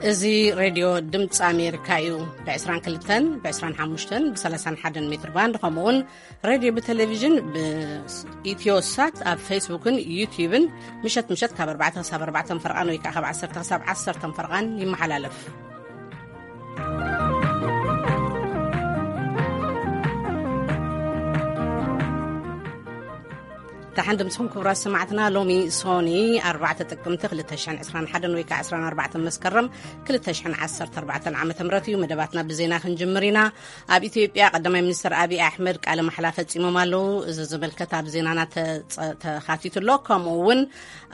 እዚ ሬድዮ ድምፂ ኣሜሪካ እዩ። ብ22፣ ብ25፣ ብ31 ሜትር ባንድ፣ ከምኡ እውን ሬድዮ ብቴሌቪዥን ብኢትዮ ሳት ኣብ ፌስቡክን ዩትዩብን ምሸት ምሸት ካብ ኣርባዕተ ክሳብ ኣርባዕተ ፈርቓን ወይ ከዓ ካብ ዓሰርተ ክሳብ ዓሰርተ ፈርቓን ይመሓላለፍ። ደሓን ድምፅኹም ክቡራት ሰማዕትና። ሎሚ ሶኒ ኣርባዕተ ጥቅምቲ ክልተ ሽሕን ዕስራን ሓደን ወይ ከዓ ዕስራን ኣርባዕተን መስከረም ክልተ ሽሕን ዓሰርተ ኣርባዕተን ዓመተ ምህረት እዩ። መደባትና ብዜና ክንጅምር ኢና። ኣብ ኢትዮጵያ ቀዳማይ ሚኒስትር ኣብይ ኣሕመድ ቃለ ማሕላ ፈጺሞም ኣለዉ። እዚ ዝምልከት ኣብ ዜናና ተጸ-፣ ተኻቲቱ ኣሎ። ከምኡ እውን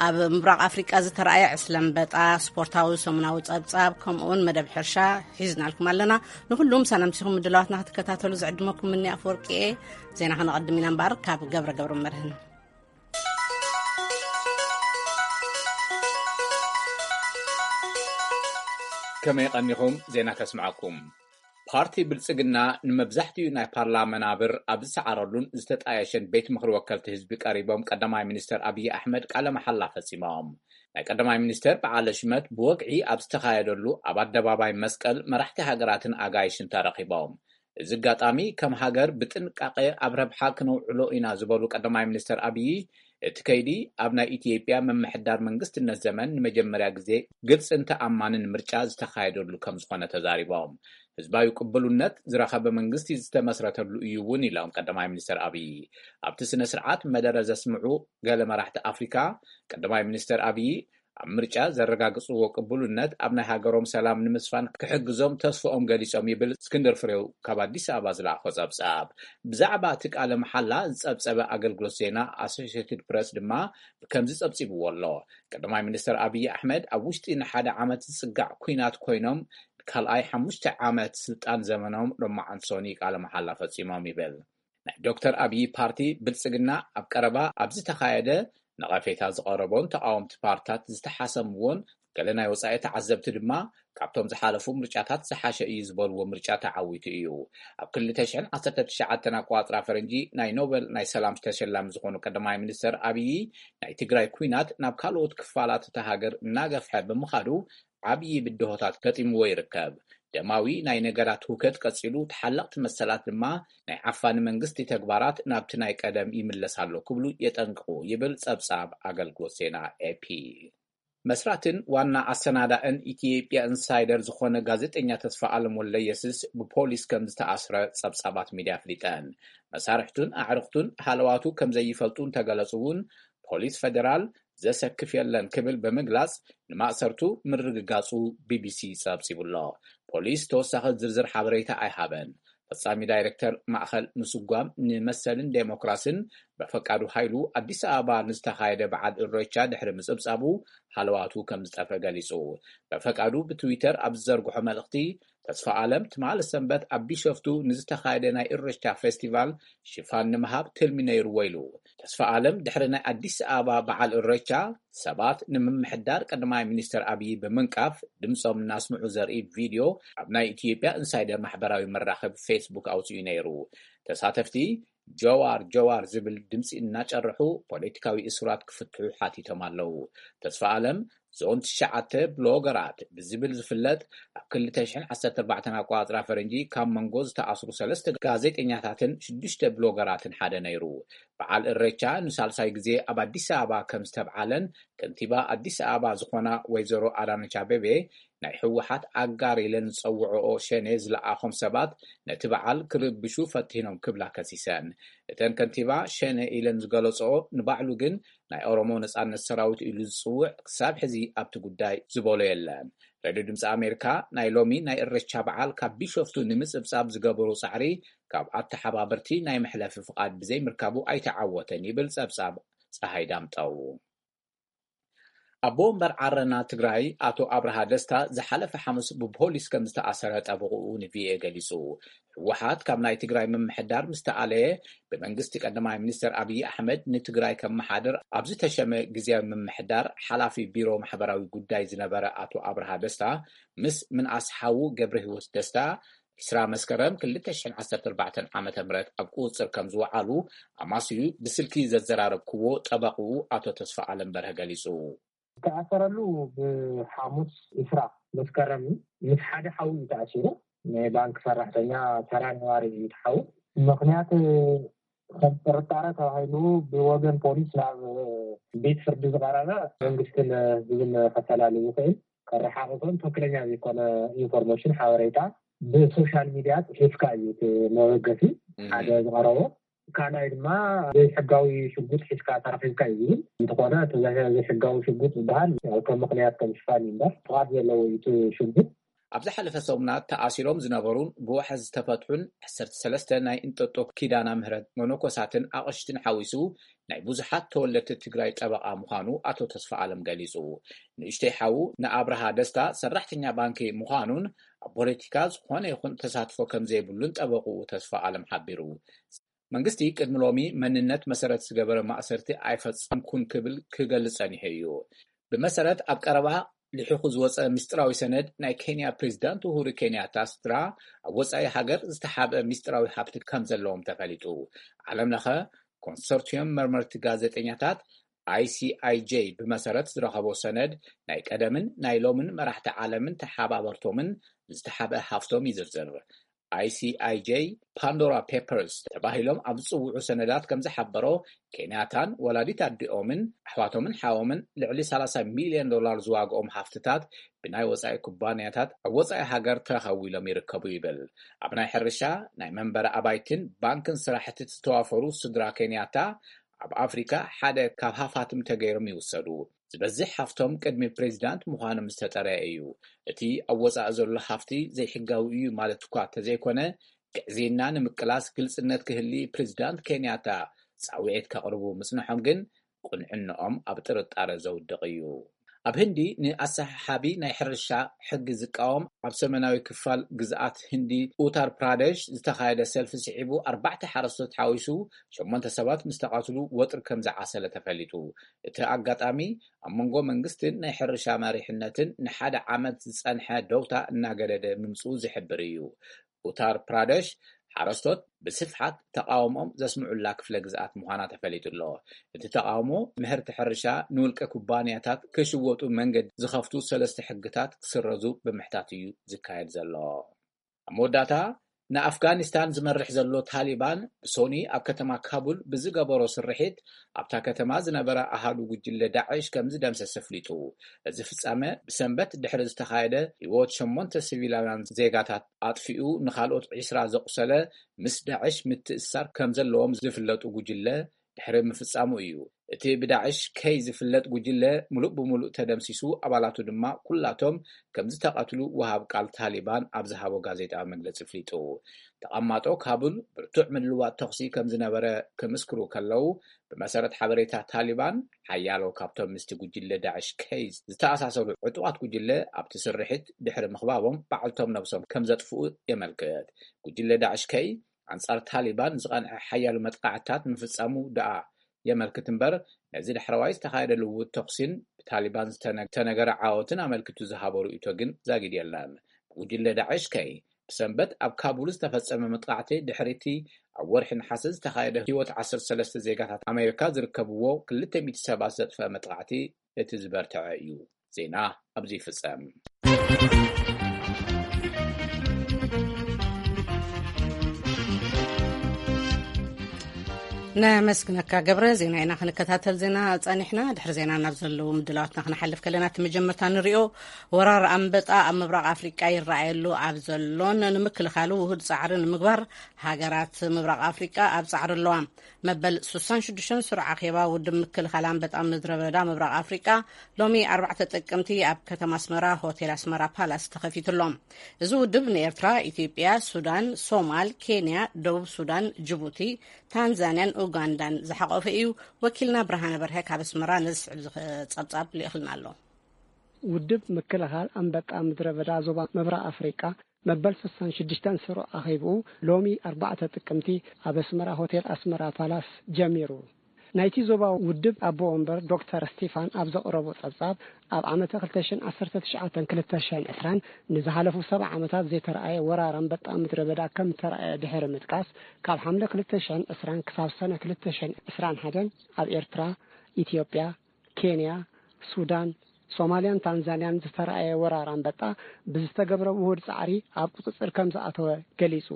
ኣብ ምብራቕ ኣፍሪቃ ዝተረኣየ ዕስለ ኣንበጣ፣ ስፖርታዊ ሰሙናዊ ጸብጻብ፣ ከምኡ እውን መደብ ሕርሻ ሒዝናልኩም ኣለና። ንኹሉ ምሳና ኣምሲኹም ምድላዋትና ክትከታተሉ ዝዕድመኩም እኒ ኣፈወርቂ እየ። ዜና ከነቐድም ኢና እምበኣር ካብ ገብረ ገብረ መርህን። ከመይ ቀኒኹም? ዜና ከስምዓኩም። ፓርቲ ብልጽግና ንመብዛሕትኡ ናይ ፓርላማ መናብር ኣብ ዝሰዓረሉን ዝተጣየሸን ቤት ምኽሪ ወከልቲ ህዝቢ ቀሪቦም ቀዳማይ ሚኒስተር ኣብይ ኣሕመድ ቃለ መሓላ ፈጺሞም። ናይ ቀዳማይ ሚኒስተር በዓለ ሽመት ብወግዒ ኣብ ዝተኻየደሉ ኣብ ኣደባባይ መስቀል መራሕቲ ሃገራትን ኣጋይሽን ተረኺቦም። እዚ ኣጋጣሚ ከም ሃገር ብጥንቃቐ ኣብ ረብሓ ክነውዕሎ ኢና ዝበሉ ቀዳማይ ሚኒስተር ኣብይ፣ እቲ ከይዲ ኣብ ናይ ኢትዮጵያ ምምሕዳር መንግስትነት ዘመን ንመጀመርያ ግዜ ግልጽን ተኣማንን ምርጫ ዝተኻየደሉ ከም ዝኾነ ተዛሪቦም። ህዝባዊ ቅብሉነት ዝረኸበ መንግስቲ ዝተመስረተሉ እዩ እውን ኢሎም ቀዳማይ ሚኒስተር ኣብይ። ኣብቲ ስነ ስርዓት መደረ ዘስምዑ ገለ መራሕቲ ኣፍሪካ፣ ቀዳማይ ሚኒስተር ኣብይ ኣብ ምርጫ ዘረጋግጽዎ ቅቡልነት ኣብ ናይ ሃገሮም ሰላም ንምስፋን ክሕግዞም ተስፍኦም ገሊጾም ይብል እስክንድር ፍሬው ካብ ኣዲስ ኣበባ ዝለኣኾ ጸብጻብ። ብዛዕባ እቲ ቃለ መሓላ ዝጸብጸበ ኣገልግሎት ዜና ኣሶሽየትድ ፕረስ ድማ ከምዚ ጸብጺብዎ ኣሎ። ቀዳማይ ሚኒስተር ኣብይ ኣሕመድ ኣብ ውሽጢ ንሓደ ዓመት ዝጽጋዕ ኲናት ኮይኖም ካልኣይ ሓሙሽተ ዓመት ስልጣን ዘመኖም ሎማዓንቲ ሶኒ ቃለ መሓላ ፈጺሞም ይብል። ናይ ዶክተር ኣብይ ፓርቲ ብልጽግና ኣብ ቀረባ ኣብ ዝተኻየደ ነቐፌታ ዝቐረቦን ተቓወምቲ ፓርትታት ዝተሓሰምዎን ገለ ናይ ወጻኢ ተዓዘብቲ ድማ ካብቶም ዝሓለፉ ምርጫታት ዝሓሸ እዩ ዝበልዎ ምርጫ ተዓዊቱ እዩ። ኣብ ክልተ ሽሕን ዓሰርተ ትሽዓተን ኣቆጻጽራ ፈረንጂ ናይ ኖበል ናይ ሰላም ተሸላሚ ዝኾኑ ቀዳማይ ሚኒስተር ኣብይ ናይ ትግራይ ኲናት ናብ ካልኦት ክፋላት እታ ሃገር እናገፍሐ ብምኻዱ ዓብዪ ብድሆታት ገጢምዎ ይርከብ። ደማዊ ናይ ነገራት ህውከት ቀጺሉ፣ ተሓለቕቲ መሰላት ድማ ናይ ዓፋኒ መንግስቲ ተግባራት ናብቲ ናይ ቀደም ይምለስ ኣሎ ክብሉ የጠንቅቑ ይብል ጸብጻብ ኣገልግሎት ዜና ኤፒ። መስራትን ዋና ኣሰናዳእን ኢትዮጵያ ኢንሳይደር ዝኾነ ጋዜጠኛ ተስፋ ኣለም ወልደየስስ ብፖሊስ ከም ዝተኣስረ ጸብጻባት ሚድያ ኣፍሊጠን። መሳርሕቱን ኣዕርኽቱን ሃለዋቱ ከም ዘይፈልጡ እንተገለጹ እውን ፖሊስ ፈደራል ዘሰክፍ የለን ክብል ብምግላጽ ንማእሰርቱ ምርግጋጹ ቢቢሲ ጸብጺቡ ኣሎ። ፖሊስ ተወሳኺ ዝርዝር ሓበሬታ ኣይሃበን። ፈጻሚ ዳይሬክተር ማእኸል ምስጓም ንመሰልን ዴሞክራስን በፈቃዱ ሃይሉ ኣዲስ ኣበባ ንዝተኻየደ በዓል እሬቻ ድሕሪ ምጽብጻቡ ሃለዋቱ ከም ዝጠፍአ ገሊጹ። በፈቃዱ ብትዊተር ኣብ ዝዘርግሖ መልእኽቲ፣ ተስፋ ኣለም ትማሊ ሰንበት ኣብ ቢሾፍቱ ንዝተኻየደ ናይ እሬቻ ፌስቲቫል ሽፋን ንምሃብ ትልሚ ነይርዎ ኢሉ። ተስፋ ኣለም ድሕሪ ናይ ኣዲስ ኣበባ በዓል እሬቻ ሰባት ንምምሕዳር ቀዳማይ ሚኒስተር ኣብይ ብምንቃፍ ድምጾም እናስምዑ ዘርኢ ቪድዮ ኣብ ናይ ኢትዮጵያ ኢንሳይደር ማሕበራዊ መራኸቢ ፌስቡክ ኣውጺኡ ነይሩ። ተሳተፍቲ ጀዋር ጀዋር ዝብል ድምጺ እናጨርሑ ፖለቲካዊ እሱራት ክፍትሑ ሓቲቶም ኣለዉ። ተስፋ ኣለም ዞን ትሽዓተ ብሎገራት ብዝብል ዝፍለጥ ኣብ ክልተ ሽሕን ዓሰርተ ኣርባዕተን ኣቆጻጽራ ፈረንጂ ካብ መንጎ ዝተኣስሩ ሰለስተ ጋዜጠኛታትን ሽዱሽተ ብሎገራትን ሓደ ነይሩ። በዓል እሬቻ ንሳልሳይ ግዜ ኣብ ኣዲስ ኣበባ ከም ዝተብዓለን ከንቲባ ኣዲስ ኣበባ ዝኾና ወይዘሮ ኣዳነች ኣቤቤ ናይ ህወሓት ኣጋር ኢለን ዝጸውዕኦ ሸኔ ዝለኣኾም ሰባት ነቲ በዓል ክርብሹ ፈቲኖም ክብላ ከሲሰን። እተን ከንቲባ ሸኔ ኢለን ዝገለጽኦ ንባዕሉ ግን ናይ ኦሮሞ ነጻነት ሰራዊት ኢሉ ዝጽውዕ ክሳብ ሕዚ ኣብቲ ጉዳይ ዝበሎ የለን። ሬድዮ ድምፂ ኣሜሪካ ናይ ሎሚ ናይ እሬቻ በዓል ካብ ቢሾፍቱ ንምጽብጻብ ዝገበሮ ጻዕሪ ካብ ኣተሓባበርቲ ናይ መሕለፊ ፍቓድ ብዘይምርካቡ ኣይተዓወተን ይብል ጸብጻብ ፀሃይ ዳምጠው። ኣቦ ወንበር ዓረና ትግራይ ኣቶ ኣብርሃ ደስታ ዝሓለፈ ሓሙስ ብፖሊስ ከም ዝተኣሰረ ጠበቕኡ ንቪኦኤ ገሊጹ። ህወሓት ካብ ናይ ትግራይ ምምሕዳር ምስ ተኣለየ ብመንግስቲ ቀዳማይ ሚኒስትር ኣብይ ኣሕመድ ንትግራይ ከመሓድር ኣብ ዝተሸመ ግዝያዊ ምምሕዳር ሓላፊ ቢሮ ማሕበራዊ ጉዳይ ዝነበረ ኣቶ ኣብርሃ ደስታ ምስ ምንኣስ ሓዉ ገብረ ህይወት ደስታ ዕስራ መስከረም ክልተ ሽሕን ዓሰርተ ኣርባዕተን ዓመተ ምህረት ኣብ ቁጽጽር ከም ዝወዓሉ ኣማስዩ ብስልኪ ዘዘራረብክዎ ጠበቕኡ ኣቶ ተስፋ ኣለም በርሀ ገሊጹ። ዝተኣሰረሉ ብሓሙስ ዕስራ መስከረም እዩ። ምስ ሓደ ሓው እዩ ተኣሲሩ። ናይ ባንክ ሰራሕተኛ፣ ተራ ነባሪ እዩ እቲ ሓው። ምኽንያት ከም ጥርጣረ ተባሂሉ ብወገን ፖሊስ ናብ ቤት ፍርዲ ዝቐረበ መንግስትን ህዝብን ከፈላሊ ይኽእል፣ ከረሓቕፎን ትኽክለኛ ዘይኮነ ኢንፎርሜሽን፣ ሓበሬታ ብሶሻል ሚዲያ ጽሒፍካ እዩ እቲ መበገሲ ሓደ ዝቐረቦ። ካልኣይ ድማ ዘይሕጋዊ ሽጉጥ ሒዝካ ተረኺብካ እዩ ዝብል። እንተኾነ እቲ ዘይሕጋዊ ሽጉጥ ዝበሃል ከም ምኽንያት ከም ሽፋን እዩ እምበር ፍቓድ ዘለዎ እዩ እቲ ሽጉጥ። ኣብ ዝሓለፈ ሰሙናት ተኣሲሮም ዝነበሩን ብዋሕዚ ዝተፈትሑን ዓሰርተ ሰለስተ ናይ እንጠጦ ኪዳና ምህረት መነኮሳትን ኣቕሽትን ሓዊሱ ናይ ብዙሓት ተወለድቲ ትግራይ ጠበቓ ምዃኑ ኣቶ ተስፋ ኣለም ገሊጹ። ንእሽተይ ሓዉ ንኣብርሃ ደስታ ሰራሕተኛ ባንኪ ምዃኑን ኣብ ፖለቲካ ዝኾነ ይኹን ተሳትፎ ከም ዘይብሉን ጠበቕኡ ተስፋ ኣለም ሓቢሩ። መንግስቲ ቅድሚ ሎሚ መንነት መሰረት ዝገበረ ማእሰርቲ ኣይፈጸምኩን ክብል ክገልጽ ጸኒሑ እዩ። ብመሰረት ኣብ ቀረባ ልሒኹ ዝወጸ ምስጢራዊ ሰነድ ናይ ኬንያ ፕሬዚዳንት ኡሁሩ ኬንያታ ስድራ ኣብ ወጻኢ ሃገር ዝተሓብአ ምስጢራዊ ሃብቲ ከም ዘለዎም ተፈሊጡ። ዓለም ለኸ ኮንሶርቲየም መርመርቲ ጋዜጠኛታት፣ ኣይሲኣይጄ፣ ብመሰረት ዝረኸቦ ሰነድ ናይ ቀደምን ናይ ሎምን መራሕቲ ዓለምን ተሓባበርቶምን ዝተሓብአ ሃፍቶም ይዝርዝር። ኣይሲኣይጄ ፓንዶራ ፔፐርስ ተባሂሎም ኣብ ዝጽውዑ ሰነዳት ከም ዝሓበሮ፣ ኬንያታን ወላዲት ኣዲኦምን ኣሕዋቶምን ሓዎምን ልዕሊ ሰላሳ ሚልዮን ዶላር ዝዋግኦም ሃፍትታት ብናይ ወጻኢ ኩባንያታት ኣብ ወጻኢ ሃገር ተረኸቡ ኢሎም ይርከቡ ይብል። ኣብ ናይ ሕርሻ፣ ናይ መንበሪ ኣባይትን ባንክን ስራሕቲ ዝተዋፈሩ ስድራ ኬንያታ፣ ኣብ ኣፍሪካ ሓደ ካብ ሃፋትም ተገይሮም ይውሰዱ። ዝበዝሕ ሃፍቶም ቅድሚ ፕሬዚዳንት ምዃኖም ዝተጠረየ እዩ። እቲ ኣብ ወጻኢ ዘሎ ሃፍቲ ዘይሕጋዊ እዩ ማለት እኳ ተዘይኮነ፣ ግዕዝይና ንምቅላስ ግልጽነት ክህሊ ፕሬዚዳንት ኬንያታ ጻውዒት ከቕርቡ ምጽንሖም ግን ቁንዕንኦም ኣብ ጥርጣረ ዘውድቕ እዩ። ኣብ ህንዲ ንኣሰሓሓቢ ናይ ሕርሻ ሕጊ ዝቃወም ኣብ ሰሜናዊ ክፋል ግዝኣት ህንዲ ኡታር ፕራደሽ ዝተኻየደ ሰልፊ ስዒቡ ኣርባዕተ ሓረስቶት ሓዊሱ ሸሞንተ ሰባት ምስ ተቐትሉ ወጥሪ ከም ዝዓሰለ ተፈሊጡ። እቲ ኣጋጣሚ ኣብ መንጎ መንግስትን ናይ ሕርሻ መሪሕነትን ንሓደ ዓመት ዝጸንሐ ደውታ እናገደደ ምምጽኡ ዝሕብር እዩ። ኡታር ፕራደሽ ሓረስቶት ብስፍሓት ተቃውሞኦም ዘስምዑላ ክፍለ ግዝኣት ምዃና ተፈሊጡ ኣሎ። እቲ ተቃውሞ ምህርቲ ሕርሻ ንውልቀ ኩባንያታት ክሽወጡ መንገዲ ዝኸፍቱ ሰለስተ ሕግታት ክስረዙ ብምሕታት እዩ ዝካየድ ዘሎ። ኣብ መወዳእታ፣ ንኣፍጋኒስታን ዝመርሕ ዘሎ ታሊባን ብሶኒ ኣብ ከተማ ካቡል ብዝገበሮ ስርሒት ኣብታ ከተማ ዝነበረ ኣሃዱ ጉጅለ ዳዕሽ ከም ዝደምሰሰ ኣፍሊጡ። እዚ ፍጻመ ብሰንበት ድሕሪ ዝተኻየደ ህይወት ሸሞንተ ሲቪላውያን ዜጋታት ኣጥፊኡ ንኻልኦት ዕስራ ዘቑሰለ ምስ ዳዕሽ ምትእስሳር ከም ዘለዎም ዝፍለጡ ጉጅለ ድሕሪ ምፍጻሙ እዩ። እቲ ብዳዕሽ ከይ ዝፍለጥ ጉጅለ ምሉእ ብምሉእ ተደምሲሱ፣ ኣባላቱ ድማ ኩላቶም ከም ዝተቐትሉ ወሃብ ቃል ታሊባን ኣብ ዝሃቦ ጋዜጣዊ መግለጺ ኣፍሊጡ። ተቐማጦ ካቡል ብርቱዕ ምልውዋጥ ተኹሲ ከም ዝነበረ ክምስክሩ ከለዉ፣ ብመሰረት ሓበሬታ ታሊባን፣ ሓያሎ ካብቶም ምስቲ ጉጅለ ዳዕሽ ከይ ዝተኣሳሰሩ ዕጡቓት ጉጅለ ኣብቲ ስርሒት ድሕሪ ምኽባቦም ባዕልቶም ነብሶም ከም ዘጥፍኡ የመልክት። ጉጅለ ዳዕሽ ከይ ኣንጻር ታሊባን ዝቐንዐ ሓያሎ መጥቃዕትታት ምፍጻሙ ደኣ የመልክት እምበር፣ ነዚ ዳሕረዋይ ዝተኻየደ ልውውጥ ተኹሲን ብታሊባን ዝተነ-፣ ዝተነገረ ዓወትን ኣመልኪቱ ዝሃቦ ርእይቶ ግን ዛጊድ የለን። ብጉጅለ ዳዕሽ ከይ ብሰንበት ኣብ ካቡል ዝተፈጸመ መጥቃዕቲ ድሕሪቲ ኣብ ወርሒ ነሓሰ ዝተኻየደ ህይወት ዓሰርተ ሰለስተ ዜጋታት ኣሜሪካ ዝርከብዎ ክልተ ሚእቲ ሰባት ዘጥፈአ መጥቃዕቲ እቲ ዝበርትዐ እዩ። ዜና ኣብዚ ይፍጸም። ነመስግነካ ገብረ። ዜና ኢና ክንከታተል ዜና ጸኒሕና። ድሕሪ ዜና ናብ ዘለዉ ምድላዋትና ክንሓልፍ ከለና፣ እቲ መጀመርታ ንሪኦ፣ ወራር ኣንበጣ ኣብ ምብራቕ ኣፍሪቃ ይረኣየሉ ኣብ ዘሎን ንምክልኻሉ ውሁድ ጻዕሪ ንምግባር ሃገራት ምብራቕ ኣፍሪቃ ኣብ ጻዕሪ ኣለዋ። መበል ሱሳን ሽዱሽተን ስሩዕ ኣኼባ ውድብ ምክልኻል ኣንበጣ ምድረ በዳ ምብራቕ ኣፍሪቃ ሎሚ ኣርባዕተ ጥቅምቲ ኣብ ከተማ ኣስመራ ሆቴል ኣስመራ ፓላስ ተኸፊቱ ኣሎ። እዚ ውድብ ንኤርትራ፣ ኢትዮጵያ፣ ሱዳን፣ ሶማል፣ ኬንያ፣ ደቡብ ሱዳን፣ ጅቡቲ፣ ታንዛንያን ኡጋንዳን ዝሓቆፈ እዩ። ወኪልና ብርሃነ በርሀ ካብ ኣስመራ ነዚ ዝስዕብ ዝኸ-፣ ጸብጻብ ልኢኽልና ኣሎ። ውድብ ምክልኻል ኣንበጣ ምድረ በዳ ዞባ ምብራቕ ኣፍሪቃ መበል ስሳን ሽዱሽተን ስሩዕ ኣኼብኡ ሎሚ ኣርባዕተ ጥቅምቲ ኣብ ኣስመራ ሆቴል ኣስመራ ፓላስ ጀሚሩ። ናይቲ ዞባ ውድብ ኣቦ ወንበር ዶክተር ስቲፋን ኣብ ዘቕረቦ ጸብጻብ፣ ኣብ ዓመተ ክልተ ሽሕን ዓሰርተ ትሽዓተን ክልተ ሽሕን ዕስራን ንዝሓለፉ ሰብዓ ዓመታት ዘይተረኣየ ወራር ኣንበጣ ምድረ በዳ ከም እተረኣየ ድሕሪ ምጥቃስ፣ ካብ ሓምለ ክልተ ሽሕን ዕስራን ክሳብ ሰነ ክልተ ሽሕን ዕስራን ሓደን ኣብ ኤርትራ፣ ኢትዮጵያ፣ ኬንያ፣ ሱዳን፣ ሶማልያን ታንዛንያን ዝተራእየ ወራር ኣንበጣ ብዝተገብረ ውሁድ ጻዕሪ ኣብ ቁጽጽር ከም ዝኣተወ ገሊጹ።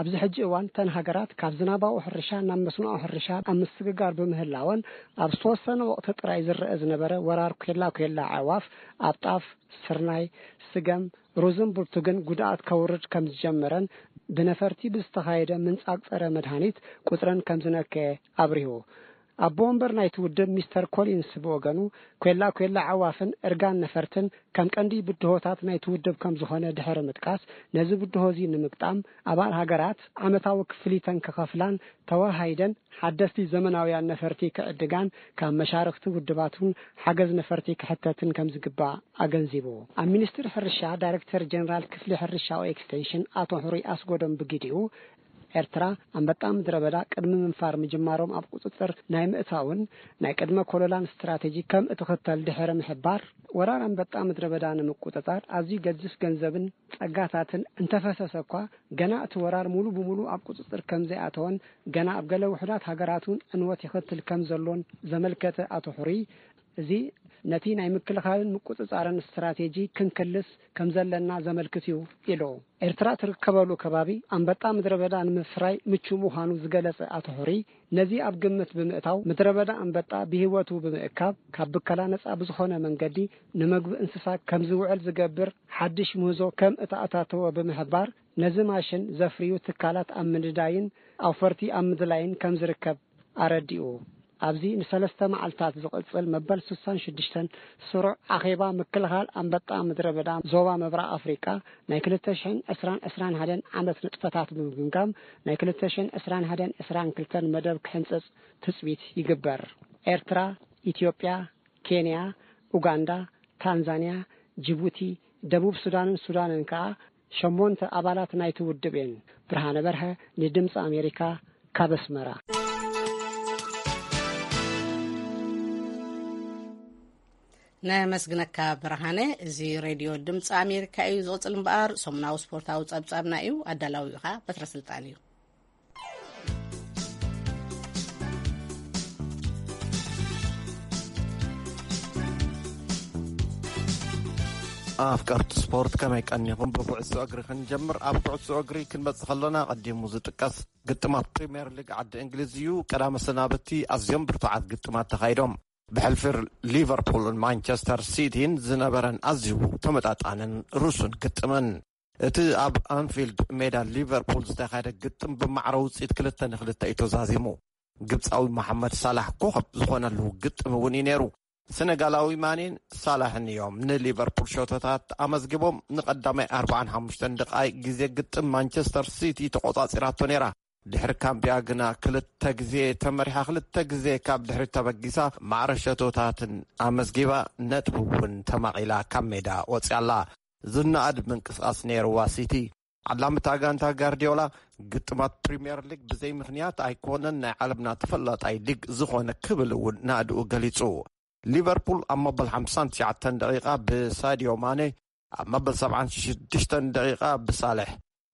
ኣብዚ ሕጂ እዋን እተን ሃገራት ካብ ዝናባዊ ሕርሻ ናብ መስኖኣዊ ሕርሻ ኣብ ምስግጋር ብምህላወን፣ ኣብ ዝተወሰነ ወቕቲ ጥራይ ዝረአ ዝነበረ ወራር ኬላ ኬላ ኣዕዋፍ ኣብ ጣፍ፣ ስርናይ፣ ስገም፣ ሩዝን ብርቱግን ጉድኣት ከውርድ ከም ዝጀመረን ብነፈርቲ ብዝተኻየደ ምንጻግ ጸረ መድሃኒት ቁጽረን ከም ዝነከየ ኣብሪሁ። ኣቦ ወንበር ናይቲ ውድብ ሚስተር ኮሊንስ ብወገኑ፣ ኬላ ኬላ ኣዕዋፍን እርጋን ነፈርትን ከም ቀንዲ ብድሆታት ናይቲ ውድብ ከም ዝኾነ ድሕሪ ምጥቃስ፣ ነዚ ብድሆ እዚ ንምግጣም ኣባል ሃገራት ዓመታዊ ክፍሊተን ክኸፍላን ተወሃሂደን ሓደስቲ ዘመናውያን ነፈርቲ ክዕድጋን ካብ መሻርኽቲ ውድባት እውን ሓገዝ ነፈርቲ ክሕተትን ከም ዝግባእ ኣገንዚቡ። ኣብ ሚኒስትሪ ሕርሻ ዳይሬክተር ጀነራል ክፍሊ ሕርሻዊ ኤክስቴንሽን ኣቶ ሕሩይ ኣስጎዶም ብግዲኡ፣ ኤርትራ ኣንበጣ ምድረ በዳ ቅድሚ ምንፋር ምጅማሮም ኣብ ቁጽጽር ናይ ምእታውን ናይ ቅድመ ኮለላን ስትራቴጂ ከም እትኽተል ድሕሪ ምሕባር፣ ወራር ኣንበጣ ምድረ በዳ ንምቁጽጻር ኣዝዩ ገዚፍ ገንዘብን ጸጋታትን እንተፈሰሰ እኳ፣ ገና እቲ ወራር ሙሉ ብሙሉ ኣብ ቁጽጽር ከም ዘይኣተወን፣ ገና ኣብ ገለ ውሑዳት ሃገራት እውን ዕንወት ይኸትል ከም ዘሎን ዘመልከተ ኣቶ ሕሩይ፣ እዚ ነቲ ናይ ምክልኻልን ምቁጽጻርን ስትራቴጂ ክንክልስ ከም ዘለና ዘመልክት እዩ ኢሉ። ኤርትራ ትርከበሉ ከባቢ ኣንበጣ ምድረ በዳ ንምፍራይ ምቹ ምዃኑ ዝገለጸ ኣቶ ሕሩይ፣ ነዚ ኣብ ግምት ብምእታው፣ ምድረ በዳ ኣንበጣ ብህይወቱ ብምእካብ፣ ካብ ብከላ ነጻ ብዝኾነ መንገዲ ንመግቢ እንስሳ ከም ዝውዕል ዝገብር ሓድሽ ምህዞ ከም እተኣታተወ ብምሕባር፣ ነዚ ማሽን ዘፍርዩ ትካላት ኣብ ምንዳይን ኣውፈርቲ ኣብ ምድላይን ከም ዝርከብ ኣረዲኡ። ኣብዚ ንሰለስተ መዓልታት ዝቕጽል መበል ስሳን ሽዱሽተን ስሩዕ ኣኼባ ምክልኻል ኣንበጣ ምድረ በዳ ዞባ ምብራቕ ኣፍሪቃ ናይ ክልተ ሽሕን ዕስራን ዕስራን ሓደን ዓመት ንጥፈታት ብምግምጋም፣ ናይ ክልተ ሽሕን ዕስራን ሓደን ዕስራን ክልተን መደብ ክሕንጽጽ ትጽቢት ይግበር። ኤርትራ፣ ኢትዮጵያ፣ ኬንያ፣ ኡጋንዳ፣ ታንዛንያ፣ ጅቡቲ፣ ደቡብ ሱዳንን ሱዳንን ከኣ ሸሞንተ ኣባላት ናይቲ ውድብ እየን። ብርሃነ በርሀ ንድምፂ ኣሜሪካ ካብ ኣስመራ። ነመስግነካ ብርሃነ። እዚ ሬድዮ ድምፂ ኣሜሪካ እዩ። ዝቕፅል እምበኣር ሰሙናዊ ስፖርታዊ ጸብጻብና እዩ። ኣዳላዊኡ ኸኣ በትረ ስልጣን እዩ። ኣፍቀርቲ ስፖርት ከመይ ቀኒኹም? ብኩዕሶ እግሪ ክንጀምር። ኣብ ኩዕሶ እግሪ ክንመጽእ ከለና፣ ቀዲሙ ዝጥቀስ ግጥማት ፕሪምየር ሊግ ዓዲ እንግሊዝ እዩ። ቀዳመ ሰናብቲ ኣዝዮም ብርቱዓት ግጥማት ተኻይዶም። ብሕልፊ ሊቨርፑልን ማንቸስተር ሲቲን ዝነበረን ኣዝዩ ተመጣጣንን ርሱን ግጥምን። እቲ ኣብ ኣንፊልድ ሜዳ ሊቨርፑል ዝተኻየደ ግጥም ብማዕረ ውጽኢት ክልተ ንክልተ እዩ ተዛዚሙ። ግብጻዊ መሓመድ ሳላሕ ኮኸብ ዝኾነሉ ግጥም እውን እዩ ነይሩ። ሰነጋላዊ ማኔን ሳላሕን እዮም ንሊቨርፑል ሸቶታት ኣመዝጊቦም። ንቐዳማይ ኣርባዓን ሓሙሽተን ደቓይቕ ግዜ ግጥም ማንቸስተር ሲቲ ተቖጻጺራቶ ነይራ። ድሕሪ ካምቢያ ግና ክልተ ግዜ ተመሪሓ፣ ክልተ ግዜ ካብ ድሕሪት ተበጊሳ፣ ማዕረ ሸቶታትን ኣመዝጊባ፣ ነጥቢ እውን ተማቒላ ካብ ሜዳ ወጺኣላ። ዝነኣድ ምንቅስቓስ ነይርዋ ሲቲ። ዓላሚ እታ ጋንታ ጋርዲዮላ፣ ግጥማት ፕሪምየር ሊግ ብዘይ ምኽንያት ኣይኮነን ናይ ዓለምና ተፈላጣይ ሊግ ዝኾነ ክብል እውን ናእድኡ ገሊጹ። ሊቨርፑል ኣብ መበል ሓምሳን ትሽዓተን ደቂቓ ብሳድዮ ማኔ፣ ኣብ መበል ሰብዓን ሽዱሽተን ደቂቓ ብሳልሕ፣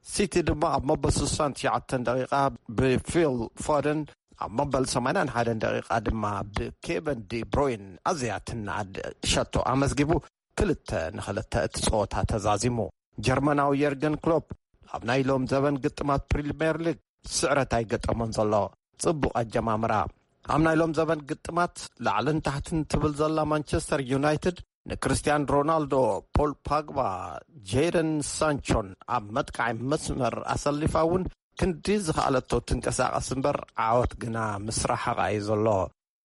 ሲቲ ድማ ኣብ መበል ስሳን ትሽዓተን ደቂቓ ብፊል ፎደን፣ ኣብ መበል ሰማንያን ሓደን ደቂቓ ድማ ብኬቨን ዲ ብሮይን ኣዝያ ትነኣድ ሸቶ ኣመዝጊቡ፣ ክልተ ንክልተ እቲ ጸወታ ተዛዚሙ። ጀርመናዊ የርገን ክሎፕ ኣብ ናይ ሎም ዘበን ግጥማት ፕሪምየር ሊግ ስዕረት ኣይገጠሞን ዘሎ። ጽቡቕ ኣጀማምራ። ኣብ ናይ ሎም ዘበን ግጥማት ላዕልን ታሕትን ትብል ዘላ ማንቸስተር ዩናይትድ ንክርስቲያን ሮናልዶ፣ ፖል ፓግባ፣ ጄደን ሳንቾን ኣብ መጥቃዒ መስመር ኣሰሊፋ እውን ክንዲ ዝኸኣለቶ ትንቀሳቐስ እምበር ዓወት ግና ምስ ረሓቓ እዩ ዘሎ።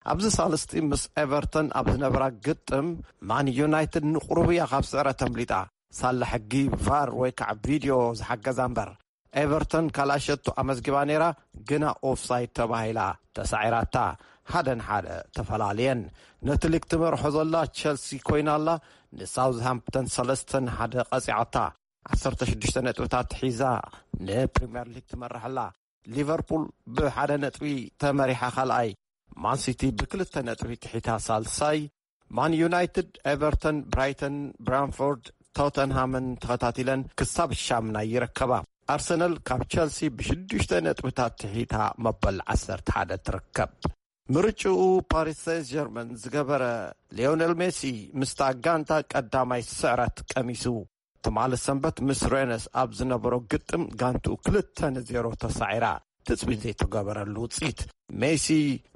ኣብዚ ሳልስቲ ምስ ኤቨርተን ኣብ ዝነበራ ግጥም ማን ዩናይትድ ንቑሩብ እያ ካብ ስዕረት ኣምሊጣ። ሳላ ሕጊ ቫር ወይ ከዓ ቪድዮ ዝሓገዛ እምበር። ኤቨርተን ካልኣይ ሸቶ ኣመዝጊባ ነይራ፣ ግና ኦፍሳይድ ተባሂላ ተሳዒራታ። ሓደ ንሓደ ተፈላልየን። ነቲ ሊግ ትመርሖ ዘላ ቸልሲ ኮይና ኣላ፣ ንሳውዝሃምፕተን ሰለስተ ንሓደ ቀጺዓታ። ዓሰርተ ሽዱሽተ ነጥብታት ሒዛ ንፕሪምየር ሊግ ትመርሕ ኣላ። ሊቨርፑል ብሓደ ነጥቢ ተመሪሓ ካልኣይ፣ ማን ሲቲ ብክልተ ነጥቢ ትሒታ ሳልሳይ፣ ማን ዩናይትድ፣ ኤቨርተን፣ ብራይተን፣ ብራንፎርድ፣ ቶተንሃምን ተኸታቲለን ክሳብ ሻምናይ ይርከባ። ኣርሰናል ካብ ቸልሲ ብሽዱሽተ ነጥብታት ትሒታ መበል ዓሰርተ ሓደ ትርከብ። ምርጭኡ ፓሪስ ሴንት ጀርመን ዝገበረ ሊዮኔል ሜሲ ምስታ ጋንታ ቀዳማይ ስዕረት ቀሚሱ። ትማሊ ሰንበት ምስ ሬነስ ኣብ ዝነበሮ ግጥም ጋንትኡ ክልተ ንዜሮ ተሳዒራ። ትጽቢት ዘይተገበረሉ ውጽኢት። ሜሲ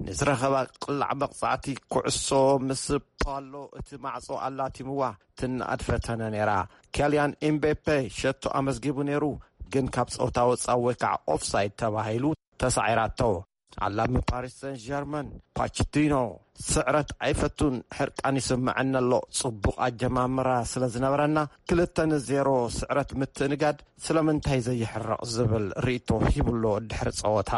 ንዝረኸባ ቅላዕ መቕጻዕቲ ኩዕሶ ምስ ፓሎ እቲ ማዕጾ ኣላቲምዋ ትናኣድ ፈተነ ነይራ። ኬልያን ኤምቤፔ ሸቶ ኣመዝጊቡ ነይሩ፣ ግን ካብ ጸውታ ወጻኢ ወይ ከዓ ኦፍሳይድ ተባሂሉ ተሳዒራቶ። ኣላሚ ፓሪስ ሰን ጀርመን ፓችቲኖ፣ "ስዕረት ኣይፈቱን፣ ሕርቃን ይስምዐኒ ኣሎ። ጽቡቕ ኣጀማምራ ስለ ዝነበረና፣ ክልተ ንዜሮ ስዕረት ምትእንጋድ ስለምንታይ ዘይሕረቕ?" ዝብል ርእይቶ ሂብሎ ድሕሪ ጸወታ።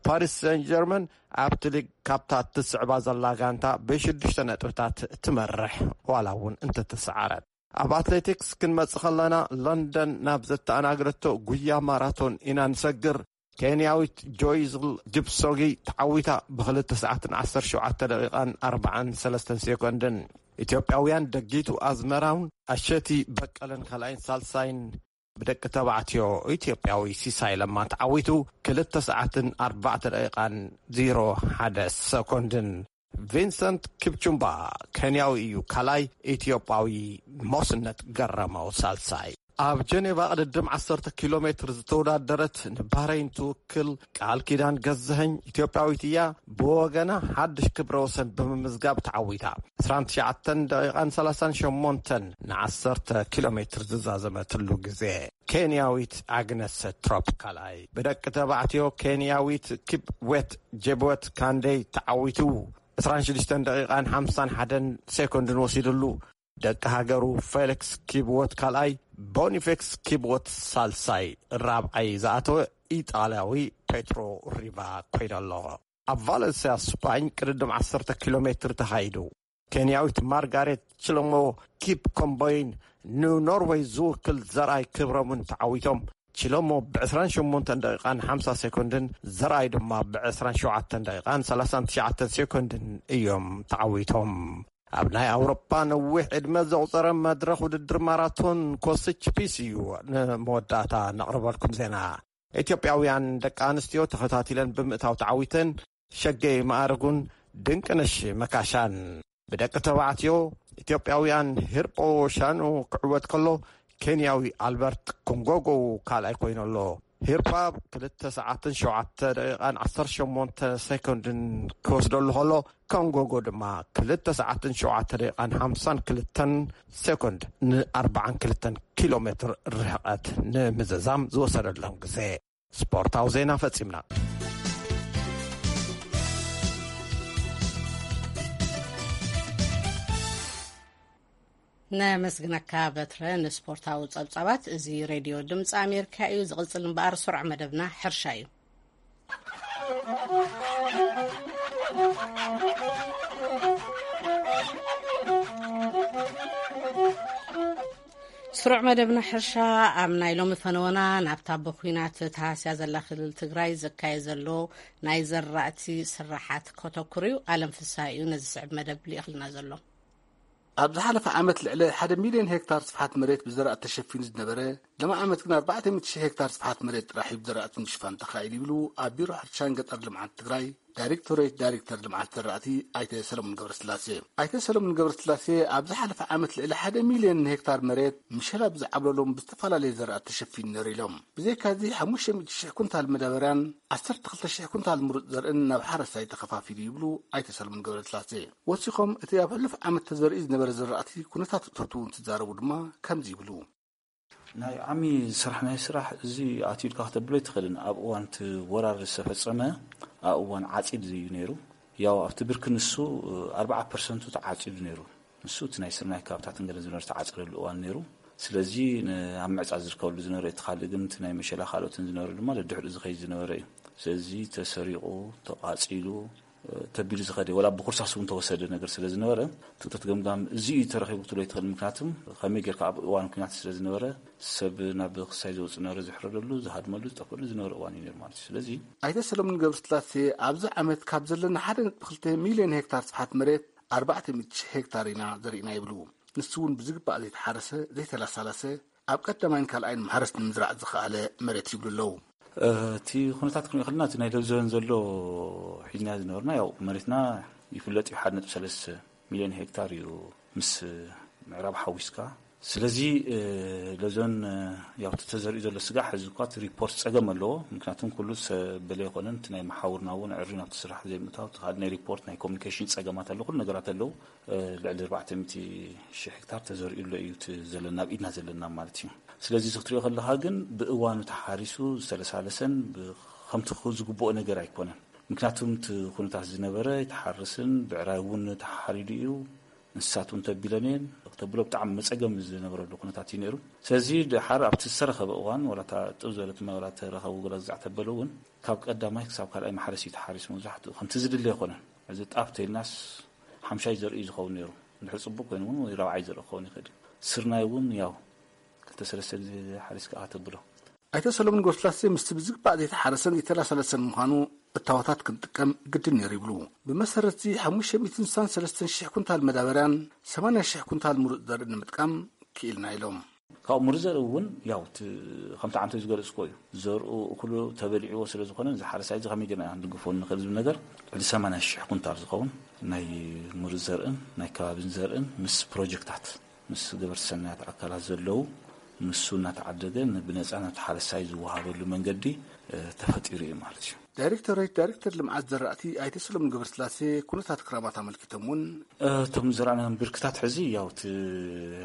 ፓሪስ ሰን ጀርመን ኣብቲ ሊግ ካብታ እትስዕባ ዘላ ጋንታ ብሽዱሽተ ነጥብታት ትመርሕ፣ ዋላ እውን እንተተሰዓረት። ኣብ ኣትሌቲክስ ክንመጽእ ከለና፣ ለንደን ናብ ዘተኣናገደቶ ጉያ ማራቶን ኢና ንሰግር። ኬንያዊት ጆይዝል ጅፕሶጊ ተዓዊታ፣ ብክልተ ሰዓትን ዓሰርተ ሸውዓተ ደቂቓን ኣርባዓን ሰለስተን ሴኮንድን። ኢትዮጵያውያን ደጊቱ ኣዝመራውን ኣሸቲ በቀለን ካልኣይን ሳልሳይን፣ ብደቂ ተባዕትዮ ኢትዮጵያዊ ሲሳይ ለማ ተዓዊቱ፣ ክልተ ሰዓትን ኣርባዕተ ደቂቓን ዜሮ ሓደ ሰኮንድን። ቪንሰንት ኪፕቹምባ ኬንያዊ እዩ፣ ካልኣይ ኢትዮጵያዊ ሞስነት ገረመው ሳልሳይ። ኣብ ጀኔቫ ቅድድም ዓሰርተ ኪሎ ሜትር ዝተወዳደረት ንባህረይን ትውክል ቃል ኪዳን ገዛኸኝ ኢትዮጵያዊት እያ። ብወገና ሓድሽ ክብረ ወሰን ብምምዝጋብ ተዓዊታ። ዕስራን ትሽዓተን ደቂቓን ሰላሳን ሸሞንተን ንዓሰርተ ኪሎ ሜትር ዝዛዘመትሉ ግዜ። ኬንያዊት ኣግነስ ትሮፕ ካልኣይ። ብደቂ ተባዕትዮ ኬንያዊት ኪፕዌት ጄብወት ካንዴይ ተዓዊቱ። ዕስራን ሽዱሽተን ደቂቓን ሓምሳን ሓደን ሴኮንድን ወሲድሉ። ደቂ ሃገሩ ፌሊክስ ኪብወት ካልኣይ፣ ቦኒፌክስ ኪብወት ሳልሳይ፣ ራብዓይ ዝኣተወ ኢጣልያዊ ፔትሮ ሪቫ ኮይኑ ኣሎ። ኣብ ቫለንስያ ስፓኝ ቅድድም ዓሰርተ ኪሎ ሜትር ተኻይዱ። ኬንያዊት ማርጋሬት ችሎሞ ኪፕ ኮምቦይን ንኖርወይ ዝውክል ዘርኣይ ክብረሙን ተዓዊቶም። ችሎሞ ብ ዕስራን ሸሞንተን ደቂቓን ሓምሳ ሴኮንድን፣ ዘርኣይ ድማ ብ ዕስራን ሸውዓተን ደቂቓን ሰላሳን ትሽዓተን ሴኮንድን እዮም ተዓዊቶም። ኣብ ናይ ኣውሮፓ ነዊሕ ዕድመ ዘቑጸረ መድረኽ ውድድር ማራቶን ኮስች ፒስ እዩ ንመወዳእታ ነቕርበልኩም ዜና። ኢትዮጵያውያን ደቂ ኣንስትዮ ተኸታቲለን ብምእታው ተዓዊተን ሸገይ ማዕርጉን ድንቅነሽ መካሻን። ብደቂ ተባዕትዮ ኢትዮጵያውያን ሂርጶ ሻኑ ክዕወት ከሎ፣ ኬንያዊ ኣልበርት ኮንጎጎ ካልኣይ ኮይኑ ኣሎ። ሂርጳ ክልተ ሰዓትን ሸውዓተ ደቂቓን ዓሰርተ ሸሞንተ ሴኮንድን ክወስደሉ ከሎ፣ ኮንጎጎ ድማ ክልተ ሰዓትን ሸውዓተ ደቂቓን ሓምሳን ክልተን ሴኮንድ ንኣርባዓን ክልተን ኪሎ ሜትር ርሕቐት ንምዝዛም ዝወሰደሎም ግዜ። ስፖርታዊ ዜና ፈጺምና። ነመስግነካ በትረ ንስፖርታዊ ጸብጻባት። እዚ ሬድዮ ድምፂ ኣሜሪካ እዩ። ዝቕጽል እምበኣር ስሩዕ መደብና ሕርሻ እዩ። ስሩዕ መደብና ሕርሻ ኣብ ናይ ሎሚ ፈነወና ናብታ ብኩናት ተሃስያ ዘላ ክልል ትግራይ ዘካየ ዘሎ ናይ ዘራእቲ ስራሓት ከተኩር እዩ። ኣለም ፍስሃ እዩ ነዚ ስዕብ መደብ ልኢኽልና ዘሎ። ኣብ ዝሓለፈ ዓመት ልዕሊ ሓደ ሚልዮን ሄክታር ስፍሓት መሬት ብዘራእቲ ተሸፊኑ ዝነበረ፣ ሎሚ ዓመት ግን ኣርባዕተ ሚእቲ ሺሕ ሄክታር ስፍሓት መሬት ጥራሕ እዩ ብዘራእቲ ምሽፋን ተኻኢሉ ይብሉ ኣብ ቢሮ ሕርሻን ገጠር ልምዓት ትግራይ ዳይሬክቶሬት ዳይሬክተር ልምዓት ዘራእቲ ኣይተ ሰለሙን ገብረስላሴ። ኣይተ ሰለሙን ገብረስላሴ ኣብ ዝሓለፈ ዓመት ልዕሊ ሓደ ሚልዮን ሄክታር መሬት ምሸላ ብዝዓብለሎም ብዝተፈላለየ ዘራእቲ ተሸፊኑ ነይሩ ኢሎም። ብዘይካዚ ሓሙሽተ ሚእቲ ሺሕ ኩንታል መዳበርያን ዓሰርተ ክልተ ሺሕ ኩንታል ምሩፅ ዘርእን ናብ ሓረስታይ ተኸፋፊሉ ይብሉ ኣይተ ሰለሙን ገብረስላሴ። ወሲኾም እቲ ኣብ ሕሉፍ ዓመት ተዘሪኡ ዝነበረ ዘራእቲ ኩነታት እቶቱ እንትዛረቡ ድማ ከምዚ ይብሉ። ናይ ዓሚ ዝሰራሕናዮ ስራሕ እዚ ኣትዩ ኢልካ ከተብሎ ኣይትኽእልን። ኣብ እዋን እቲ ወራር ዝተፈጸመ ኣብ እዋን ዓጺድ እዩ ነይሩ። ያው ኣብቲ ብርኪ ንሱ ኣርባዓ ፐርሰንቱ ተዓጺዱ ነይሩ። ንሱ እቲ ናይ ስርናይ ከባብታትን ገለ ዝነበረ ዝተዓጸደሉ እዋን ነይሩ። ስለዚ ን-፣ ኣብ ምዕጻድ ዝርከበሉ ዝነበረ እቲ ካልእ ግን እቲ ናይ መሸላ ካልኦትን ዝነበረ ድማ ደድሕሪኡ ዝኸይድ ዝነበረ እዩ። ስለዚ ተሰሪቑ፣ ተቓጺሉ፣ ተቢሉ ዝኸደ፣ ወላ ብኩርሳስ እውን ተወሰደ ነገር ስለ ዝነበረ፣ ትእቶት ገምጋም እዚ እዩ ተረኺቡ ክትብሎ ኣይትኽእል። ምክንያቱም ከመይ ጌርካ ኣብ እዋን ኲናት ስለ ዝነበረ፣ ሰብ ናብ ክሳይ ዘውፅእ ነበረ፣ ዝሕረደሉ፣ ዝሃድመሉ፣ ዝጠፍእሉ ዝነበረ እዋን እዩ ነይሩ ማለት እዩ። ስለዚ ኣይተ ሰለሙን ገብረስላሴ ኣብዚ ዓመት ካብ ዘለና ሓደ ነጥቢ ክልተ ሚልዮን ሄክታር ስፍሓት መሬት ኣርባዕተ ሚእቲ ሺሕ ሄክታር ኢና ዘሪእና ይብሉ። ንሱ እውን ብዝግባእ ዘይተሓረሰ፣ ዘይተላሳለሰ፣ ኣብ ቀዳማይን ካልኣይን ማሕረስ ንምዝራእ ዝኸኣለ መሬት ይብሉ ኣለዉ። እቲ ኩነታት ክንሪኦ ከለና፣ እቲ ናይ ሎዞን ዘሎ ሒዝና ዝነበርና፣ ያው መሬትና ይፍለጥ እዩ፣ ሓደ ነጥቢ ሰለስተ ሚልዮን ሄክታር እዩ፣ ምስ ምዕራብ ሓዊስካ። ስለዚ ሎዞን፣ ያው እቲ ተዘሪኡ ዘሎ ስጋዕ ሕዚ እኳ እቲ ሪፖርት ጸገም ኣለዎ። ምክንያቱም ኩሉ ሰብ በለ ኣይኮነን፣ እቲ ናይ መሓውርና እውን ዕሪ ናብቲ ስራሕ ዘይምእታው፣ እቲ ካልእ ናይ ሪፖርት ናይ ኮሚኒኬሽን ጸገማት ኣሎ፣ ኩሉ ነገራት ኣለዉ። ልዕሊ ኣርባዕተ ሚእቲ ሺሕ ሄክታር ተዘሪኡ ኣሎ እዩ፣ እቲ ዘለና፣ ኣብ ኢድና ዘለና ማለት እዩ። ስለዚ እዚ ክትሪኦ ከለኻ ግን፣ ብእዋኑ ተሓሪሱ ዝተለሳለሰን ብ-፣ ከምቲ ክኸውን ዝግብኦ ነገር ኣይኮነን። ምክንያቱም እቲ ኩነታት ዝነበረ ኣይተሓርስን፣ ብዕራይ እውን ተሓሪዱ እዩ፣ እንስሳት እውን ተቢለን እየን። ክተብሎ ብጣዕሚ መጸገም ዝነበረሉ ኩነታት እዩ ነይሩ። ስለዚ ድሓር ኣብቲ ዝተረኸበ እዋን፣ ዋላ እታ ጥው ዝበለት ማይ ዋላ ተረኸቡ ገለ ግዛዕ ተበለ እውን፣ ካብ ቀዳማይ ክሳብ ካልኣይ ማሕረስ እዩ ተሓሪሱ። መብዛሕትኡ ከምቲ ዝድለ ኣይኮነን። እዚ ጣፍ ተይልናስ ሓምሻይ ዘርኢ እዩ ዝኸውን ነይሩ። እንድሕር ጽቡቅ ኮይኑ እውን ወይ ራብዓይ ዘርኢ ክኸውን ይኽእል እዩ። ስርናይ እውን ያው ክልተ ሰለስተ ግዜ ሓሪስካ ተብሎ። ኣይተ ሰሎሞን ገብረስላሴ ምስቲ ብዝግባእ ዘይተሓረሰን ዘይተላሰለሰን ምዃኑ እታወታት ክንጥቀም ግድን ነይሩ ይብሉ። ብመሰረት እዚ ሓሙሽተ ሚእትን ስሳን ሰለስተን ሽሕ ኩንታል መዳበርያን ሰማንያ ሽሕ ኩንታል ምሩፅ ዘርኢ ንምጥቃም ክኢልና ኢሎም። ካብኡ ምሩፅ ዘርኢ እውን ያው እቲ ከምቲ ዓንተ ዝገለፅኮ እዩ። ዘርኡ እኩሉ ተበሊዕዎ ስለ ዝኾነ፣ እዚ ሓረሳይ እዚ ከመይ ጌርና ኢና ክንድግፎ ንኽእል ዝብል ነገር፣ ልዕሊ ሰማንያ ሽሕ ኩንታል ዝኸውን ናይ ምሩፅ ዘርእን ናይ ከባቢን ዘርእን ምስ ፕሮጀክታት ምስ ገበርቲ ሰናያት ኣካላት ዘለዉ፣ ንሱ እናተዓደገ ን-፣ ብነጻ ናብቲ ሓረስታይ ዝወሃበሉ መንገዲ፣ እ፣ ተፈጢሩ እዩ ማለት እዩ። ዳይሬክቶሬት ዳይሬክተር ልምዓት ዘራእቲ ኣይተ ሰሎሞን ገብረስላሴ ኩነታት ክራማት ኣመልኪቶም እውን፣ እ፣ እቶም ዝዘራእናዮም ብርክታት ሕዚ ያው እቲ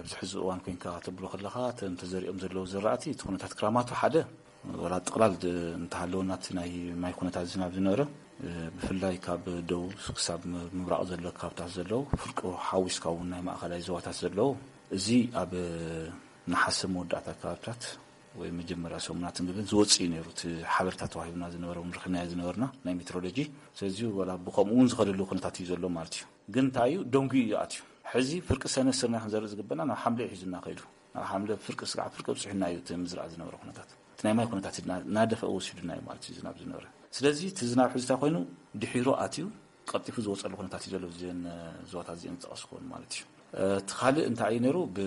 ኣብዚ ሕዚ እዋን ኮይንካ ተብሎ ከለኻ፣ እቶም ተዘሪኦም ዘለዉ ዘራእቲ እቲ ኩነታት ክራማቱ ሓደ፣ ወላ ጥቕላል ድ-፣ እንተሃለወና እቲ ናይ ማይ ኩነታት ዝናብ ዝነበረ፣ እ፣ ብፍላይ ካብ ደቡብ ክሳብ ም-፣ ምብራቕ ዘሎ ከባብታት ዘለዉ፣ ፍርቂ ሓዊስካ እውን ናይ ማእኸላይ ዞባታት ዘለዉ፣ እዚ ኣብ ነሓሰ መወዳእታ ከባብታት ወይ መጀመርያ ሰሙናት እንግዲህ ዝወፅእ እዩ ነይሩ። እቲ ሓበሬታ ተዋሂቡና ዝነበረ እውን ረኺብናዮ ዝነበርና ናይ ሜትሮሎጂ። ስለዚ ወላ ብኸምኡ እውን ዝኸደሉ ኩነታት እዩ ዘሎ ማለት እዩ። ግን እንታይ እዩ? ደንጉዩ እዩ ኣትዩ። ሕዚ ፍርቂ ሰነ ስርና ክንዘርእ ዝግበና ናብ ሓምለ እዩ ሒዙና ከይዱ። ናብ ሓምለ ፍርቂ ስጋዕ ፍርቂ ኣብፅሑና እዩ እቲ ምዝራእ ዝነበረ ኩነታት። እቲ ናይ ማይ ኩነታት እና-፣ እናደፈአ ወሲዱና እዩ ማለት እዩ ዝናብ ዝነበረ። ስለዚ እቲ ዝናብ ሕዚ እንታይ ኮይኑ ድሒሩ ኣትዩ ቀልጢፉ ዝወፀሉ ኩነታት እዩ ዘሎ። እዚን ዞባታት እዚአን ዝጠቐስኩን ማለት እዩ። እቲ ካልእ እንታይ እዩ ነይሩ? ብ-፣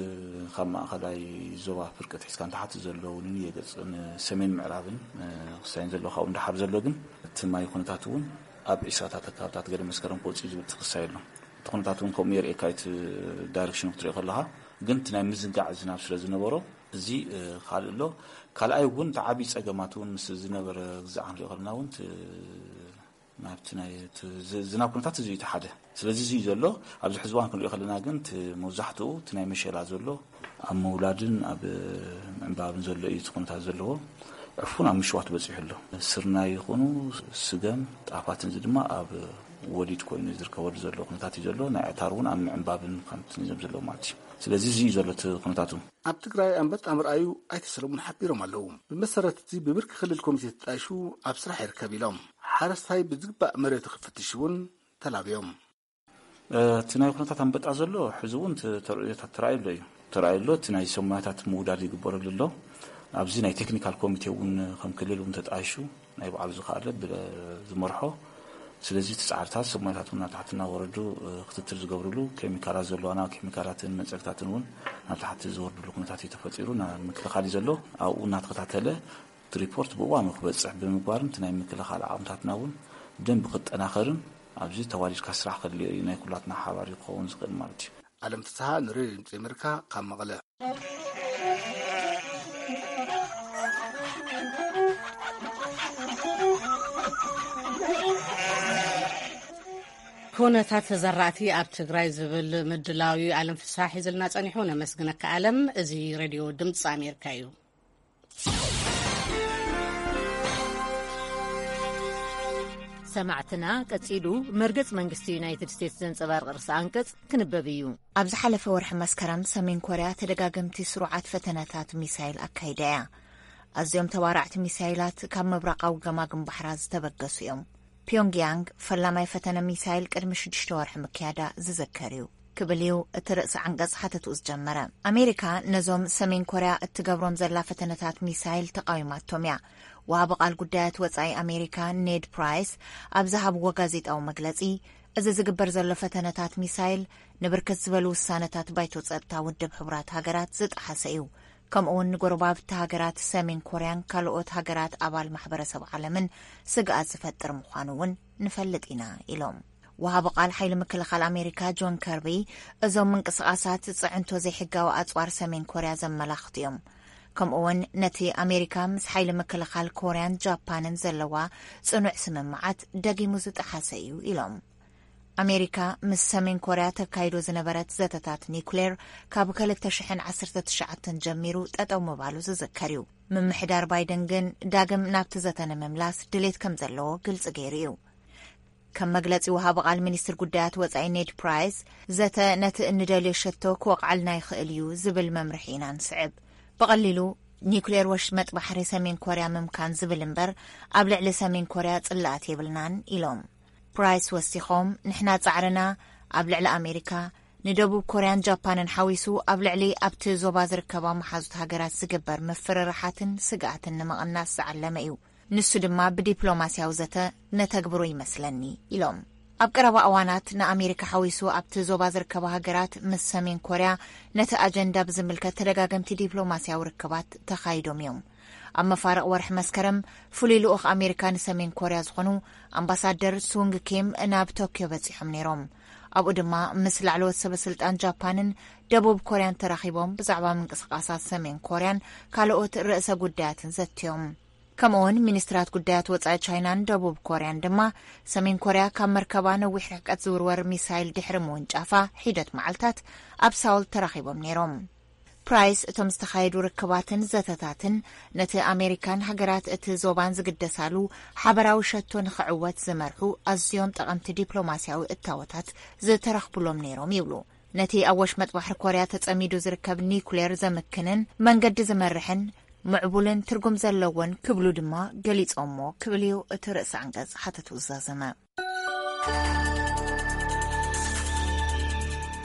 ካብ ማእኸላይ ዞባ ፍርቂ ኣትሒዝካ ንታሕቲ ዘለዉ ንየገፅ፣ ንሰሜን ምዕራብን፣ እ፣ ክሳይን ዘሎ ካብኡ ንደሓር ዘሎ ግን እቲ ማይ ኩነታት እውን ኣብ ዒስራታት ኣካባብታት ገለ መስከረም ክወፅእ እዩ ዝብል እቲ ክሳይ ኣሎ። እቲ ኩነታት እውን ከምኡ የርእየካ እቲ ዳይሬክሽኑ ክትሪኦ ከለኻ፣ ግን እቲ ናይ ምዝንጋዕ ዝናብ ስለ ዝነበሮ፣ እዚ፣ እ፣ ካልእ ኣሎ። ካልኣይ እውን እቲ ዓብዪ ጸገማት እውን ምስ ዝነበረ ግዛዕ ክንሪኦ ከለና እውን እቲ ናብቲ ናይ እቲ ዝ-፣ ዝናብ ኩነታት እዚ እዩ እቲ ሓደ። ስለዚ እዚ እዩ ዘሎ። ኣብዚ ሕዚ እዋን ክንሪኦ ከለና ግን እቲ መብዛሕትኡ እቲ ናይ መሸላ ዘሎ ኣብ ምውላድን ኣብ ምዕንባብን ዘሎ እዩ እቲ ኩነታት ዘለዎ። ዕፉን ኣብ ምሽዋት በጺሑ ኣሎ። ስርናይ ይኹኑ ስገም፣ ጣፋትን እዚ ድማ ኣብ ወሊድ ኮይኑ ዝርከበሉ ዘሎ ኩነታት እዩ ዘሎ። ናይ ዕታር እውን ኣብ ምዕንባብን ከምቲ ንዘም ዘለዎ ማለት እዩ። ስለዚ እዚ እዩ ዘሎ እቲ ኩነታቱ። ኣብ ትግራይ ኣንበጣ ምርኣዩ ኣይተ ሰለሙን ሓቢሮም ኣለዉ። ብመሰረት እዚ ብብርኪ ክልል ኮሚቴ ተጣይሹ ኣብ ስራሕ ይርከብ ኢሎም። ሓረስታይ ብዝግባእ መሬቱ ክፍትሽ እውን ተላብዮም። እቲ ናይ ኩነታት ኣንበጣ ዘሎ ሕዚ እውን ተ-፣ ተርእዮታት ተራእዩ ኣሎ እዩ። ተራእዩ ኣሎ፣ እቲ ናይ ሰሙናታት ምውዳድ ይግበረሉ ኣሎ። ኣብዚ ናይ ቴክኒካል ኮሚቴ እውን ከም ክልል እውን ተጣይሹ ናይ ባዕሉ ዝኸኣለ ብ-፣ ዝመርሖ። ስለዚ እቲ ጻዕርታት ሰሙናታት እውን ናብ ታሕቲ እናወረዱ፣ እ፣ ክትትል ዝገብርሉ ኬሚካላት ዘለዋና ኬሚካላትን መጸግታትን እውን ናብ ታሕቲ ዝወርድሉ ኩነታት እዩ ተፈጢሩ፣ ናብ ምክልኻል እዩ ዘሎ። ኣብኡ እናተኸታተለ እቲ ሪፖርት ብእዋኑ ክበጽሕ ብምግባርን እቲ ናይ ምክልኻል ዓቕምታትና እውን ብደንቢ ክጠናኸርን ኣብዚ ተዋዲድካ ስራሕ ከድልዮ እዩ፣ ናይ ኩላትና ሓባር እዩ ክኸውን ዝኽእል ማለት እዩ። ኣለም ፍስሃ ንሬድዮ ድምፂ ኣሜሪካ ካብ መቐለ። ኩነታት ዘራእቲ ኣብ ትግራይ ዝብል ምድላው እዩ ኣለም ፍስሃ ሒዝልና ጸኒሑ። ነመስግነካ ኣለም። እዚ ሬድዮ ድምፂ ኣሜሪካ እዩ። ሰማዕትና፣ ቀጺሉ መርገጽ መንግስቲ ዩናይትድ ስቴትስ ዘንጸባርቕ ርእሰ ኣንቀጽ ክንበብ እዩ። ኣብ ዝሓለፈ ወርሒ መስከረም፣ ሰሜን ኮርያ ተደጋገምቲ ስሩዓት ፈተነታት ሚሳይል ኣካይዳ እያ። ኣዝዮም ተባራዕቲ ሚሳይላት ካብ ምብራቓዊ ገማግም ባሕራ ዝተበገሱ እዮም። ፒዮንግያንግ ፈላማይ ፈተነ ሚሳይል ቅድሚ ሽዱሽተ ወርሒ ምክያዳ ዝዝከር እዩ፣ ክብል እዩ እቲ ርእሰ ዓንቀጽ ሓተትኡ ዝጀመረ። ኣሜሪካ ነዞም ሰሜን ኮርያ እትገብሮም ዘላ ፈተነታት ሚሳይል ተቓዊማቶም እያ። ወሃቢ ቃል ጉዳያት ወጻኢ ኣሜሪካ ኔድ ፕራይስ ኣብ ዝሃብዎ ጋዜጣዊ መግለጺ፣ እዚ ዝግበር ዘሎ ፈተነታት ሚሳይል ንብርክት ዝበሉ ውሳነታት ባይቶ ጸጥታ ውድብ ሕቡራት ሃገራት ዝጠሓሰ እዩ፣ ከምኡውን ንጎረባብቲ ሃገራት ሰሜን ኮርያን ካልኦት ሃገራት ኣባል ማሕበረሰብ ዓለምን ስግኣት ዝፈጥር ምዃኑ እውን ንፈልጥ ኢና ኢሎም። ወሃቢ ቃል ሓይሊ ምክልኻል ኣሜሪካ ጆን ከርቢ፣ እዞም ምንቅስቓሳት ዝፅዕንቶ ዘይሕጋዊ ኣፅዋር ሰሜን ኮርያ ዘመላኽቱ እዮም። ከምኡውን ነቲ ኣሜሪካ ምስ ሓይሊ ምክልኻል ኮርያን ጃፓንን ዘለዋ ፅኑዕ ስምምዓት ደጊሙ ዝጠሓሰ እዩ ኢሎም። ኣሜሪካ ምስ ሰሜን ኮርያ ተካይዶ ዝነበረት ዘተታት ኒውክሌር ካብ ክልተ ሽሕን ዓሰርተ ትሽዓተን ጀሚሩ ጠጠው ምባሉ ዝዝከር እዩ። ምምሕዳር ባይደን ግን ዳግም ናብቲ ዘተ ንምምላስ ድሌት ከም ዘለዎ ግልፂ ገይሩ እዩ። ከም መግለጺ ወሃቢ ቃል ሚኒስትር ጉዳያት ወጻኢ ኔድ ፕራይስ፣ ዘተ ነቲ እንደልዮ ሸቶ ክወቕዓልና ይኽእል እዩ ዝብል መምርሒ ኢና ንስዕብ። ብቐሊሉ ኒውክሌር ወሽመጥ ባሕሪ ሰሜን ኮርያ ምምካን ዝብል እምበር ኣብ ልዕሊ ሰሜን ኮርያ ጽላኣት የብልናን ኢሎም። ፕራይስ ወሲኾም፣ ንሕና ጻዕርና ኣብ ልዕሊ ኣሜሪካ፣ ንደቡብ ኮርያን ጃፓንን ሓዊሱ ኣብ ልዕሊ ኣብቲ ዞባ ዝርከባ መሓዙት ሃገራት ዝግበር ምፍርራሓትን ስግኣትን ንምቕናስ ዝዓለመ እዩ። ንሱ ድማ ብዲፕሎማስያዊ ዘተ ነተግብሮ ይመስለኒ ኢሎም። ኣብ ቀረባ እዋናት ንኣሜሪካ ሓዊሱ ኣብቲ ዞባ ዝርከባ ሃገራት ምስ ሰሜን ኮርያ ነቲ ኣጀንዳ ብዝምልከት ተደጋገምቲ ዲፕሎማስያዊ ርክባት ተኻይዶም እዮም። ኣብ መፋርቕ ወርሒ መስከረም ፍሉይ ልኡኽ ኣሜሪካ ንሰሜን ኮርያ ዝኾኑ ኣምባሳደር ሱንግ ኪም ናብ ቶክዮ በጺሖም ነይሮም። ኣብኡ ድማ ምስ ላዕለዎት ሰበ ስልጣን ጃፓንን ደቡብ ኮርያን ተራኺቦም ብዛዕባ ምንቅስቓሳት ሰሜን ኮርያን ካልኦት ርእሰ ጉዳያትን ዘትዮም። ከምኡውን ሚኒስትራት ጉዳያት ወጻኢ ቻይናን ደቡብ ኮርያን ድማ ሰሜን ኮርያ ካብ መርከባ ነዊሕ ርሕቀት ዝውርወር ሚሳይል ድሕሪ ምውንጫፋ ሒደት መዓልታት ኣብ ሳውል ተራኺቦም ነይሮም። ፕራይስ እቶም ዝተኻየዱ ርክባትን ዘተታትን ነቲ ኣሜሪካን ሃገራት እቲ ዞባን ዝግደሳሉ ሓበራዊ ሸቶ ንኽዕወት ዝመርሑ ኣዝዮም ጠቐምቲ ዲፕሎማስያዊ እታወታት ዝተረኽቡሎም ነይሮም ይብሉ። ነቲ ኣብ ወሽመጥ ባሕሪ ኮርያ ተጸሚዱ ዝርከብ ኒኩሌር ዘምክንን መንገዲ ዝመርሕን ምዕቡልን ትርጉም ዘለዎን ክብሉ ድማ ገሊጾሞ ክብል እዩ እቲ ርእሰ ኣንቀጽ ሓተቱ ዝዛዘመ።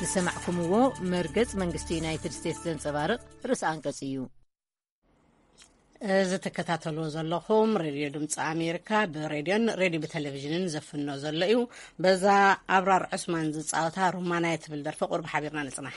ዝሰማዕኩምዎ መርገጽ መንግስቲ ዩናይትድ ስቴትስ ዘንጸባርቕ ርእሰ ኣንቀጽ እዩ። እዚ ትከታተልዎ ዘለኹም ሬድዮ ድምፂ ኣሜሪካ ብሬድዮን ሬድዮ ብቴሌቪዥንን ዘፍኖ ዘሎ እዩ። በዛ ኣብራር ዑስማን ዝፃወታ ሩማናይ ትብል ደርፊ ቁርብ ሓቢርና ንፅናሕ።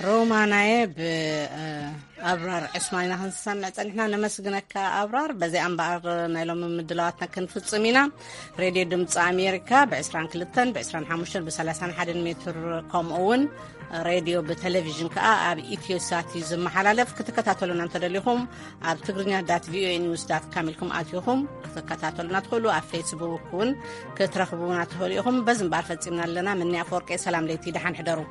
ሮማናየ ብ ኣብራር ዕስማን ኢና ክንሰምዕ ጸኒሕና። ነመስግነካ ኣብራር። በዚኣ እምበኣር ናይ ሎሚ ምድላዋትና ክንፍጽም ኢና። ሬድዮ ድምፂ ኣሜሪካ ብ22 ብ25 ብ31 ሜትር፣ ከምኡ እውን ሬድዮ ብቴሌቪዥን ከዓ ኣብ ኢትዮ ሳት እዩ ዝመሓላለፍ። ክትከታተሉና እንተደሊኹም ኣብ ትግርኛ ዳት ቪኦኤ ኒውስ ዳት ካም ኢልኩም ኣትኹም ክትከታተሉና ትኽእሉ። ኣብ ፌስቡክ እውን ክትረኽቡና ትኽእሉ ኢኹም። በዚ እምበኣር ፈፂምና ኣለና። ምንያ ኣፈወርቂ፣ ሰላም ለይቲ፣ ደሓን ሕደሩ።